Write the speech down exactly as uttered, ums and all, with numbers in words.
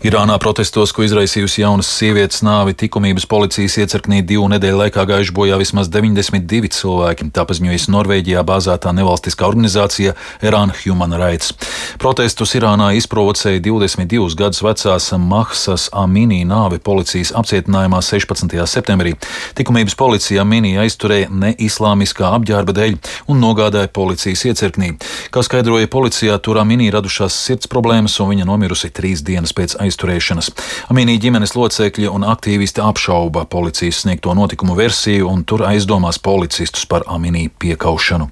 Irānā protestos, ko izraisījusi jaunas sievietes nāvi, likumības policijas iecirknī divu nedēļu laikā gājuši bojā vismaz deviņdesmit divi cilvēki, tā paziņojas Norvēģijā bāzētā nevalstiskā organizācija Iran Human Rights. Protestus Irānā izprovocēja divdesmit divus gadus vecās Mahsas Amini nāve policijas apcietinājumā sešpadsmitajā septembrī. Likumības policija Amini aizturēja neislāmiskā apģērba dēļ un nogādāja policijas iecirknī. Kā skaidroja policijā, tur Amini radušās sirds problēmas un viņa nomirusi trīs dienas pēc aizturēšanas. Amini ģimenes locekļi un aktīvisti apšauba policijas sniegto notikumu versiju un tur aizdomās policistus par Amini piekaušanu.